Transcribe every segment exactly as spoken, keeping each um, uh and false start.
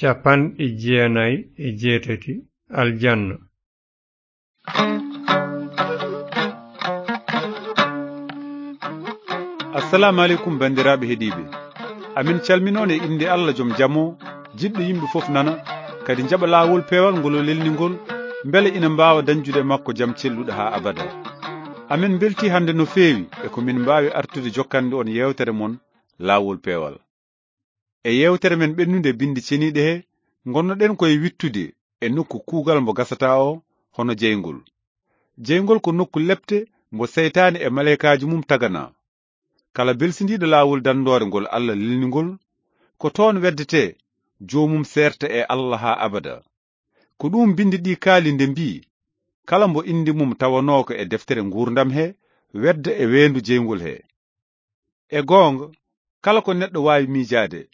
Cappanɗe jeenayi e jeetati. Aljanna. Assalamu aleykum, banndiraaɓe heɗiiɓe. Amin calminoon e innde Allah, jom jamo, jiɗɗo yimɓe fof nana, kadi njaɓa laawol peewal ngol o lelni ngol, mbele ina mbaawa dañjude makko jam celluɗo haa abada. Amin mbeltii hannde no feewi e ko min mbaawi artude jokkande on yeewtere mon, Laawol Peewal. E yeewtere men ɓennunde binndi ceniiɗe he, ngonnoɗen ko e wittude e nokku kuugal mbo gasataa o, hono jeyngol. Jeyngol ko nokku lepte mbo seytaane e maleykaaji mum taganaa. Kala belsindiiɗo laawol danndoore ngol Allah lelni ngol, ko toon weddetee, joomum seerta e Allah haa abada. Ko ɗum binndi ɗi kaali nde mbii, kala mbo innde mum tawanoo ko e deftere nguurndam he, wedda e weendu jeyngol he. E goonga, kala ko neɗɗo waawi miijaade,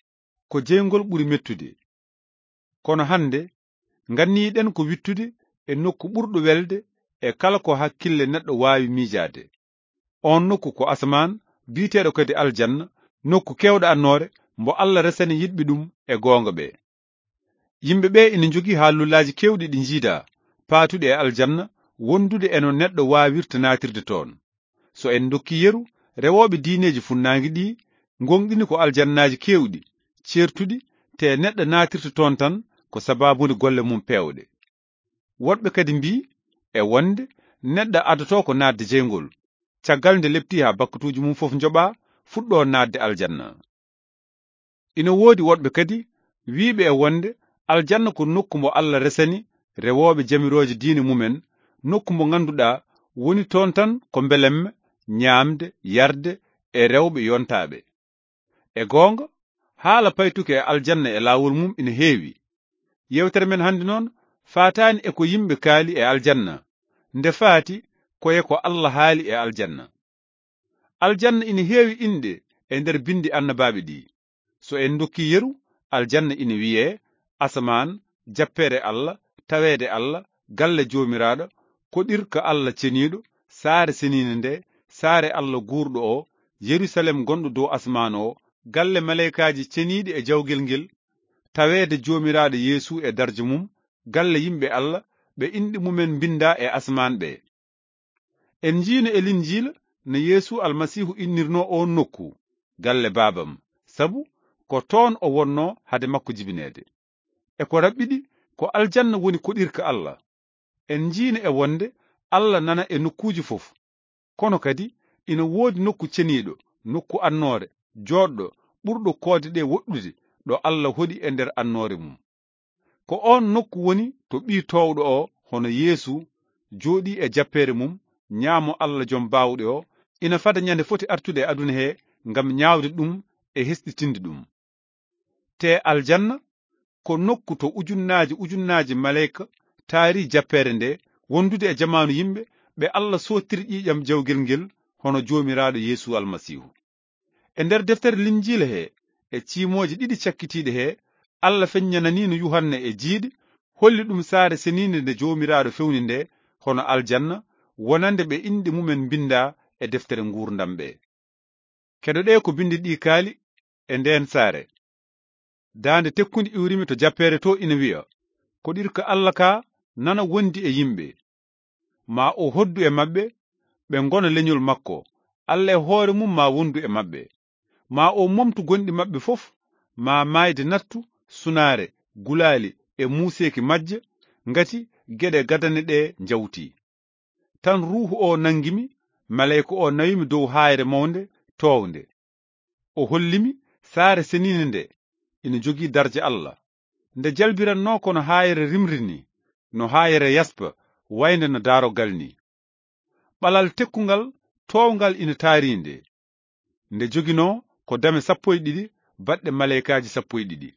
ko jeyngol ɓuri mettude. Kono hannde, nganniyiɗen ko wittude e nokku ɓurɗo welde e kala ko hakkille neɗɗo waawi miijaade. Oon nokku ko asamaan, biyeteeɗo kadi aljanna, nokku keewɗo annoore, mbo Allah resani yiɗɓe ɗum e goonga ɓe. Yimɓe ɓe ina njogii haalullaaji keewɗi ɗi njiidaa, paatuɗi e aljanna, wondude e no neɗɗo waawirta naatirde toon. So en ndokkii yeru, rewooɓe diineeji funnaange ɗi, ngoongɗini ko aljannaaji keewɗi, ceertuɗi, te neɗɗo naatirta toon tan ko sabaabu woni golle mum peewɗe. Woɗɓe kadi mbii e wonde neɗɗo adotoo ko naatde jeyngol, caggal nde leptii haa bakkatuuji mum fof njoɓaa, fuɗɗoo naatde aljanna. Ina woodi woɗɓe kadi wiyɓe e wonde aljanna ko nokku mbo Allah resani rewooɓe jamirooje diine mumen, nokku mbo ngannduɗaa woni toon tan ko mbelemme, ñaamde, yarde e rewɓe yontaaɓe. E goonga, haala paytuki e aljanna e laawol mum ina heewi. Yeewtere men hannde noon faataani e ko yimɓe kaali e aljanna, nde faati ko e ko Allah haali e aljanna. Aljanna ina heewi inɗe e nder binndi annabaaɓe ɗi. So en ndokkii yeru, aljanna ina wiyee asamaan, jappeere Allah, taweede Allah, galle Joomiraaɗo, koɗirka Allah ceniiɗo, saare seniinde nde, saare Allah guurɗo o, Yerusalem gonɗo dow asamaan o, galle maleykaaji ceniiɗi e jawgel ngel, taweede Joomiraaɗo Yeesu e darja mum, galle yimɓe Allah, ɓe inɗe mumen mbinndaa e asamaan ɓe. En njiino e Linjiila no Yeesu Almasiihu innirnoo oon nokku, galle Baabam, sabu ko toon o wonnoo hade makko jibineede. E ko raɓɓiɗi, ko aljanna woni koɗirka Allah. En njiino e wonde Allah nana e nokkuuji fof. Kono kadi, ina woodi nokku ceniiɗo, nokku annoore, jooɗɗo, ɓurɗo koode ɗe woɗɗude, ɗo Allah hoɗi e nder annoore mum. Ko oon nokku woni to Ɓii Toowɗo o, hono Yeesu, jooɗii e jappeere mum, ñaamo Allah Jom Baawɗe o, ina fada ñande foti artude e aduna he ngam ñaawde ɗum e hesɗitinde ɗum. Te aljanna ko nokku to ujunnaaji ujunnaaji maleyka taari jappeere nde, wondude e jamaanu yimɓe ɓe Allah sottiri ƴiiƴam jawgel ngel, hono Joomiraaɗo Yeesu Almasiihu. E nder deftere Linjiila he, e ciimooje ɗiɗi cakkitiiɗe he, Allah feññananiino Yuhanna e jiidi, holli ɗum saare seniinde nde Joomiraaɗo fewni nde, hono aljanna, wonande ɓe inɗe mumen mbinndaa e deftere nguurndam ɓe. Keɗoɗee ko binndi ɗi kaali e ndeen saare. Daande tekkundi iwrimi to jappeere to ina wiya, koɗirka Allah ka nana wondi e yimɓe. Ma o hoddu e maɓɓe, ɓe ngona leñol makko. Allah e hoore mum ma wondu e maɓɓe. Ma o momtu gonɗi maɓɓe fof, ma maayde nattu, sunaare, gulaali e muuseeki majje, ngati geɗe gadane ɗe njawti. Tan Ruuhu o nangimi, maleyka o nawimi dow haayre mawnde, toownde. O hollimi saare seniinde nde ina jogii darja Allah. Nde jalbirannoo ko no haayre rimri ni, no haayre yaspa, waynde no daarogal ni. Ɓalal tekkungal toowngal ina taari nde. Nde joginoo ko dame sappo e ɗiɗi baɗɗe maleykaaji sappo e ɗiɗi.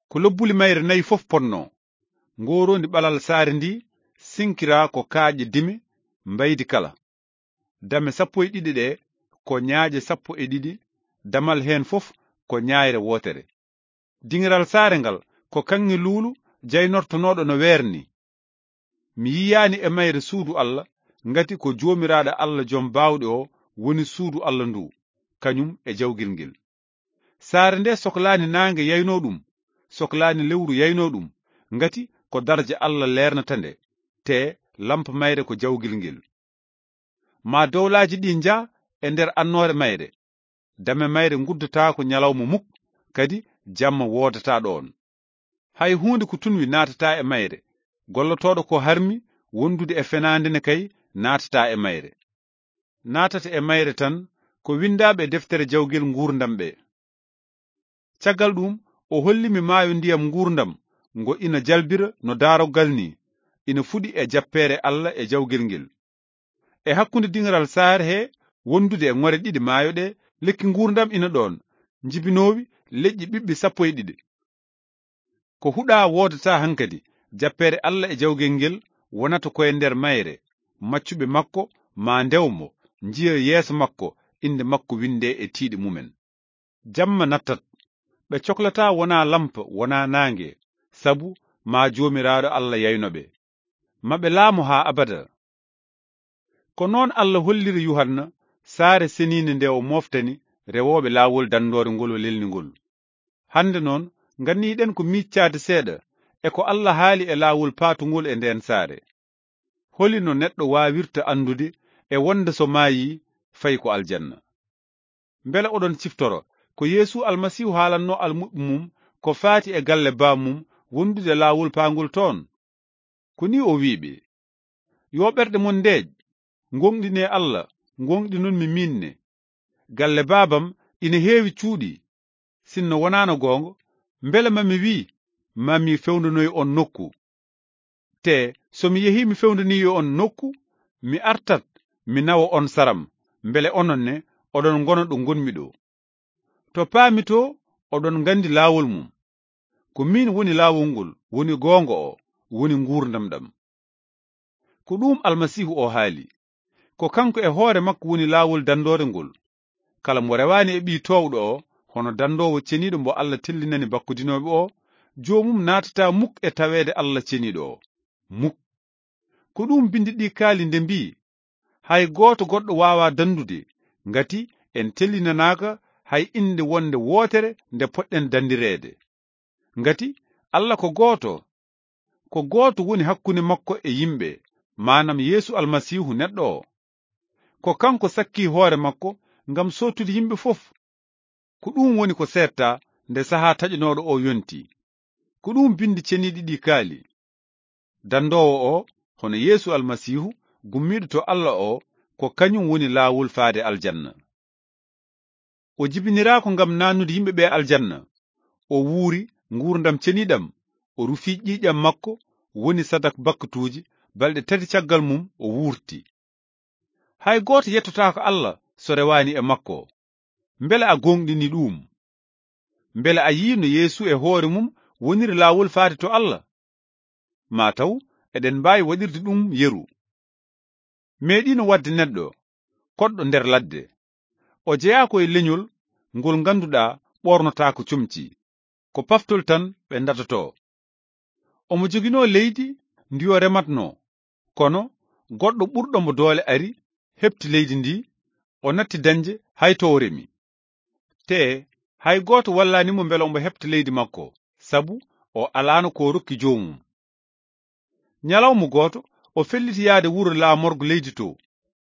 Ko lobbuli mayre nayi fof potnoo. Ngooroondi ɓalal saare ndi sinkiraa ko kaaƴe dime mbaydi kala. Dame sappo e ɗiɗi ɗe ko ñaaƴe sappo e ɗiɗi, damal heen fof ko ñaayre wootere. Diŋiral saare ngal ko kaŋŋe luulu jaynortonooɗo no weer ni. Mi yiyaani e mayre suudu Allah, ngati ko Joomiraaɗo Allah Jom Baawɗe o woni suudu Allah ndu, kañum e jawgel ngel. Saare nde soklaani naange yaynoo ɗum, soklaani lewru yaynoo ɗum, ngati ko darja Allah leernata nde, te lampa mayre ko jawgel ngel. Ma dowlaaji ɗi njah e nder annoore mayre, dame mayre nguddotaako ñalawma muk, kadi jamma woodataa ɗoon. Hay huunde ko tunwi naatataa e mayre, gollotooɗo ko harmi wondude e fenaande ne kay naatataa e mayre. Naatata e mayre tan ko winndaaɓe e deftere jawgel nguurndam ɓe. Caggal ɗum, o holli mi maayo ndiyam nguurndam, ngo ina jalbira no daaroggal ni, ina fuɗi e jappeere Allah e jawgel ngel. E hakkunde diŋaral saare he wondude e ŋore ɗiɗi maayo ɗe, lekki nguurndam ina ɗoon, njibinoowi leƴƴi ɓiɓɓe sappo e ɗiɗi. Ko huɗaa woodataa hankadi, jappeere Allah e jawgel ngel wonata koye nder mayre, maccuɓe makko maa ndew mo, njiya yeeso makko, innde makko winndee e tiiɗe mumen. Jamma nattat, ɓe coklataa wonaa lampa, wonaa naange, sabu maa Joomiraaɗo Allah yayno ɓe. Ma ɓe laamo haa abada. Ko noon Allah holliri Yuhanna saare seniinde nde o mooftani rewooɓe laawol danndoore ngol o lelni ngol. Hannde noon, nganniiɗen ko miiccaade seeɗa e ko Allah haali e laawol paatungol e ndeen saare. Holi no neɗɗo waawirta anndude e wonde so maayii, fayi ko aljanna? Mbele oɗon ciftoro ko Yeesu Almasiihu haalannoo almuɓɓe mum ko faati e galle baam mum wondude laawol paangol toon? Ko nii o wi'i ɓe, "Yo ɓerɗe mon ndeeƴ, ngooŋɗinee Allah, ngooŋɗinon mi miin ne. Galle baabam ina heewi cuuɗi. Sinno wonaano goonga, mbele ma mi wiy, ma mi fewndanoy on nokku? Te so mi yehii mi fewndanii on nokku, mi artat, mi nawa on saram, mbele onon ne oɗon ngona ɗo ngonmi ɗo. To paami to, oɗon nganndi laawol mum. Ko miin woni laawol ngol, woni goonga o, woni nguurndam ɗam." Ko ɗum Almasiihu o haali. Ko kanko e hoore makko woni laawol danndoore ngol. Kala mo rewaani e Ɓii Toowɗo o, hono danndoowo ceniiɗo mbo Allah tellinani bakkodinooɓe o, joomum naatataa muk e taweede Allah ceniiɗo o. Muk. Ko ɗum binndi ɗi kaali nde mbii, "Hay gooto goɗɗo waawaa danndude, ngati en tellinanaaka hay innde wonde wootere nde poɗɗen danndireede." Ngati Allah ko gooto, ko gooto woni hakkunde makko e yimɓe, maanam Yeesu Almasiihu neɗɗo o. Ko kanko sakkii hoore makko ngam sootude yimɓe fof. Ko ɗum woni ko seetta nde sahaa taƴanooɗo o yonti. Ko ɗum binndi ceniiɗi ɗi kaali. Danndoowo o, hono Yeesu Almasiihu, gummiiɗo to Allah o, ko kañum woni laawol faade aljanna. O jibiniraako ngam naannude yimɓe ɓe aljanna. O wuuri nguurndam ceniiɗam, o rufi ƴiiƴam makko, woni sadak bakkatuuji, balɗe tati caggal mum o wuurti. Hay gooto yettotaako Allah so rewaani e makko. Mbele a gooŋɗini ɗum? Mbele a yii no Yeesu e hoore mum woniri laawol faade to Allah? Maa taw eɗen mbaawi waɗirde ɗum yeru. Meeɗiino waɗde neɗɗo koɗɗo nder ladde. O jeyaa ko e leñol ngol ngannduɗaa ɓoornotaako comci. Ko paftol tan ɓe ndatotoo. Omo joginoo leydi ndi o rematnoo, kono goɗɗo ɓurɗo mo doole ari, heɓti leydi ndi, o natti dañde hay to o remi. Te hay gooto wallaani mo mbele omo heɓta leydi makko, sabu o alaano ko o rokki joomum. Ñalawma gooto, o felliti yahde wuro laamorgo leydi to,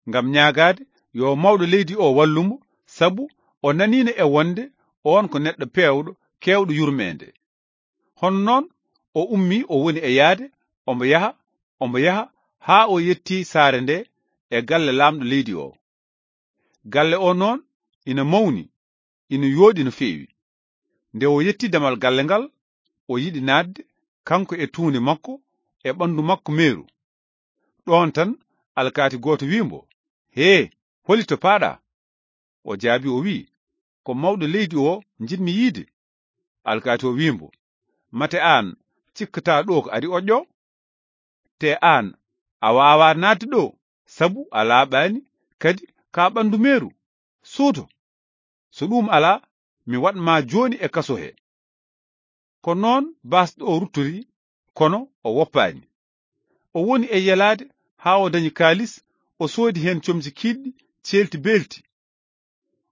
ngam ñaagaade yo mawɗo leydi o wallu mo, sabu o naniino e wonde oon ko neɗɗo peewɗo, keewɗo yurmeende. Hono noon, o ummii, o woni e yahde, omo yaha, omo yaha, haa o yettii saare nde e galle laamɗo leydi o. Galle o noon ina mawni, ina yooɗi no feewi. Nde o yetti damal galle ngal, o yiɗi naatde, kanko e tuunde makko, e ɓanndu makko meeru. Ɗoon tan, alkaati gooto wii mbo, "Hee, holi to paaɗaa?" O jaabii, o wii, "Ko mawɗo leydi o njiɗmi yiide." Alkaati o wii mbo, "Mate aan cikkataa ɗo ko ari oƴƴo? Te aan a waawaa naatde ɗo, sabu a laaɓaani, kadi ka ɓanndu meeru. Suuto! So ɗum alaa, mi waɗ ma jooni e kaso he." Ko noon baasɗo o ruttori, kono o woppaani. O woni e yelaade haa o dañi kaalis, o soodi heen comci kiiɗɗi, ceelti beelti.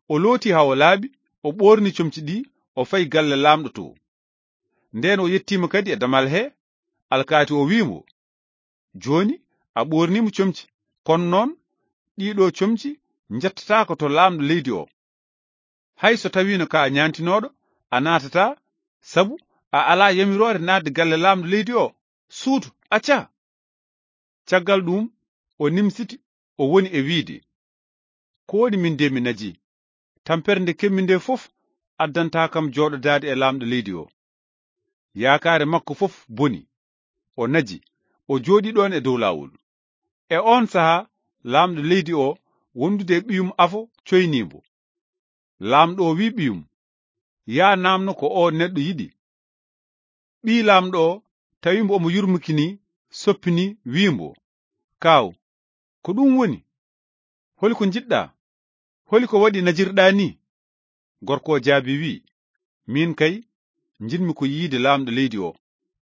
O looti haa o laaɓi, o ɓoorni comci ɗi, o fayi galle laamɗo to. Nden o yettiima kadi e damal he, alkaati o wi'i mo, "Jooni a ɓoorniima comci, kono noon ɗiɗo comci njettataako to laamɗo leydi o. Hay so tawiino ka ñaantinooɗo, a naatataa, sabu a alaa yamiroore naatde galle laamɗo leydi o. Suutu, acca!" Caggal ɗum, o nimsiti, o woni e wiide, "Ko woni min de mi naji? Tampere nde kemmi nde fof addantaa kam jooɗodaade e laamɗo leydi o. Yaakaare makko fof boni. O naji, o jooɗi ɗoon e dow laawol." E oon sahaa, laamɗo leydi o wondude e ɓiyum afo coynii mbo. Laamɗo o wi'i ɓiyum, "Yaa naamno ko o neɗɗo yiɗi." Ɓii laamɗo o tawi mbo omo yurmiki ni, soppini, wi'i mbo, "Kaaw, ko ɗum woni? Holi ko njiɗɗaa? Holi ko waɗi najirɗaa ni?" Gorko o jaabi wi'i, "Miin kay, njiɗmi ko yiide laamɗo leydi o,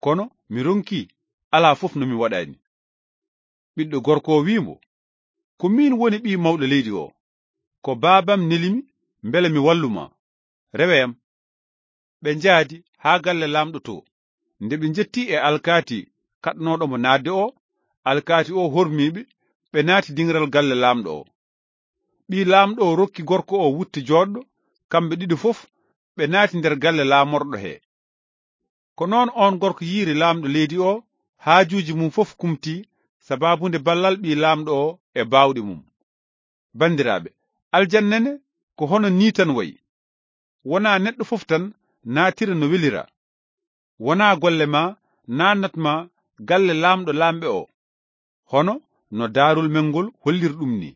kono mi ronki, alaa fof no mi waɗani." Ɓiɗɗo gorko o wi'i mbo, "Ko miin woni ɓii mawɗo leydi o. Ko baabam neli mi mbele mi wallu ma. Rewe am." Ɓe njaadi haa galle laamɗo to. Nde ɓe njetti e alkaati kaɗnooɗo mo naatde o, alkaati o hormii ɓe, ɓe naati diŋral galle laamɗo o. Ɓii laamɗo o rokki gorko o wutte jooɗɗo, kamɓe ɗiɗo fof ɓe naati nder galle laamorɗo he. Ko noon oon gorko yiiri laamɗo leydi o, haajuuji mum fof kumti, sabaabu nde ballal ɓii laamɗo o e baawɗe mum. Banndiraaɓe, aljanna ne ko hono nii tan wayi. Wonaa neɗɗo fof tan naatira no welira. Wonaa golle ma naatnat ma galle laamɗo laamɓe o, hono no daarol men ngol holliri ɗum ni.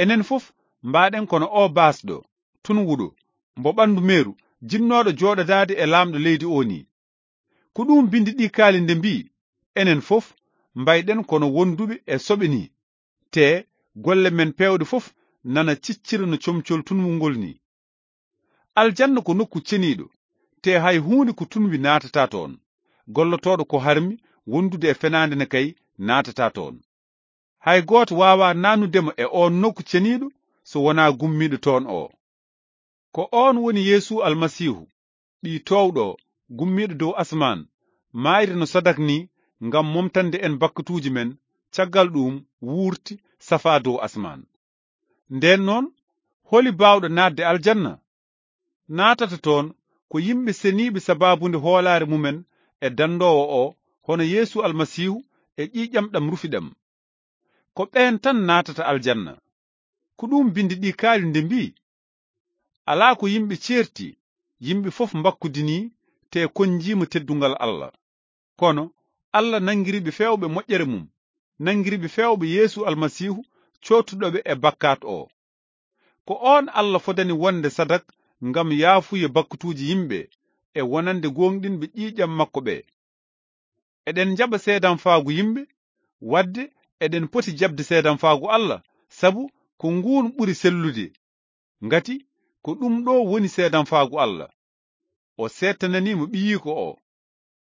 Enen fof mbaɗen kono o baasɗo, tunwuɗo, mbo ɓanndu meeru, jinnooɗo jooɗodaade e laamɗo leydi o ni. Ko ɗum binndi ɗi kaali nde mbi'i, enen fof mbayɗen kono wonduɓe e soɓe ni, te golle men peewɗe fof nana ciccira no comcol tunwungol ni. Aljanna ko nokku ceniiɗo, te hay huunde ko tunwi naatataa toon. Gollotooɗo ko harmi wondude e fenaande ne kay naatataa toon. Hay gooto waawaa naannude mo e oon nokku ceniiɗo so wonaa gummiiɗo toon o. Ko oon woni Yeesu Almasiihu, ɓii toowɗo, gummiiɗo dow asmaan, maayde no sadak ni ngam momtande en bakkatuuji men, caggal ɗum wuurti safaa dow asmaan. Ndeen noon, holi baawɗo naatde aljanna? Naatata toon ko yimɓe seniiɓe sabaabunde hoolaare mumen e dandoowo o, hono Yeesu Almasiihu e ƴiiƴam ɗam rufi ɗam. Ko ɓeen tan naatata aljanna. Ko ɗum binndi ɗi kaali nde mbi'i, "Alaa ko yimɓe ceerti, yimɓe fof mbakkudinii te konnjiima teddungal Allah. Kono Allah nanngiri ɓe feewɓe moƴƴere mum, nanngiri ɓe feewɓe Yeesu Almasiihu coottuɗo ɓe e bakkaat o." Ko oon Allah fodani wonde sadak ngam yaafuye bakkatuuji yimɓe e wonande gooŋɗinɓe ƴiiƴam makko ɓe. Eɗen njaɓa seedamfaagu yimɓe, wadde eɗen poti jaɓde seedamfaagu Allah, sabu ko nguun ɓuri sellude. Ngati ko ɗum ɗo woni seedamfaagu Allah. O seedtananii mo ɓiyiiko o.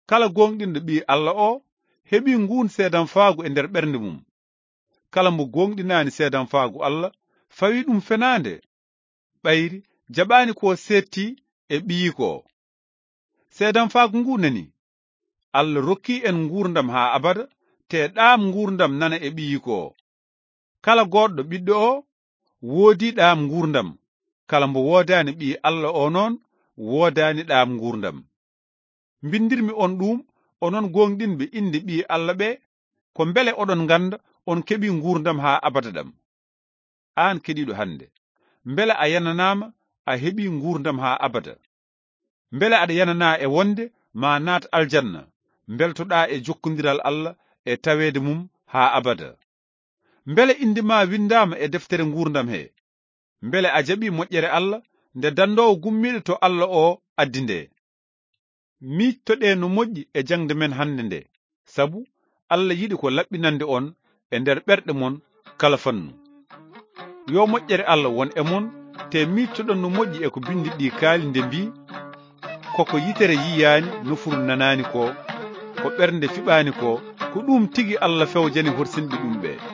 Kala gooŋɗinɗo ɓii Allah o heɓi nguun seedamfaagu e nder ɓernde mum. Kala mo gooŋɗinaani seedamfaagu Allah, fawi ɗum fenaande. Ɓayri jaɓaani ko seetti e ɓiyiiko o. Seedamfaagu ngu nani, Allah rokki en nguurndam haa abada, te ɗaam nguurndam nana e ɓiyiiko o. Kala goɗɗo ɓiɗɗo o woodi ɗaam nguurndam. Kala mbo woodaani ɓii Allah o noon, woodaani ɗaam nguurndam. Mbindirmi on ɗum, onon gooŋɗinɓe innde ɓii Allah ɓe, ko mbele oɗon ngannda on keɓi nguurndam haa abada ɗam. Aan keɗiiɗo hannde, mbele a yananaama a heɓi nguurndam haa abada? Mbele aɗa yananaa e wonde ma naat aljanna, mbeltoɗaa e jokkondiral Allah e taweede mum haa abada? Mbele innde ma winndaama e deftere nguurndam he? Mbele a jaɓi moƴƴere Allah nde dandoowo gummiiɗo to Allah o addi nde? Miijtoɗee no moƴƴi e jaŋde men hannde nde, sabu Allah yiɗi ko laɓɓinande on e nder ɓerɗe mon kala fannu. Yo moƴƴere Allah won e mon, te miijtoɗon no moƴƴi e ko binndi ɗi kaali nde mbii, "Koko yitere yiyaani, nofuru nanaani ko, ko ɓernde fiɓaani ko, ko ɗum tigi Allah fewjani horsinɓe ɗum ɓe."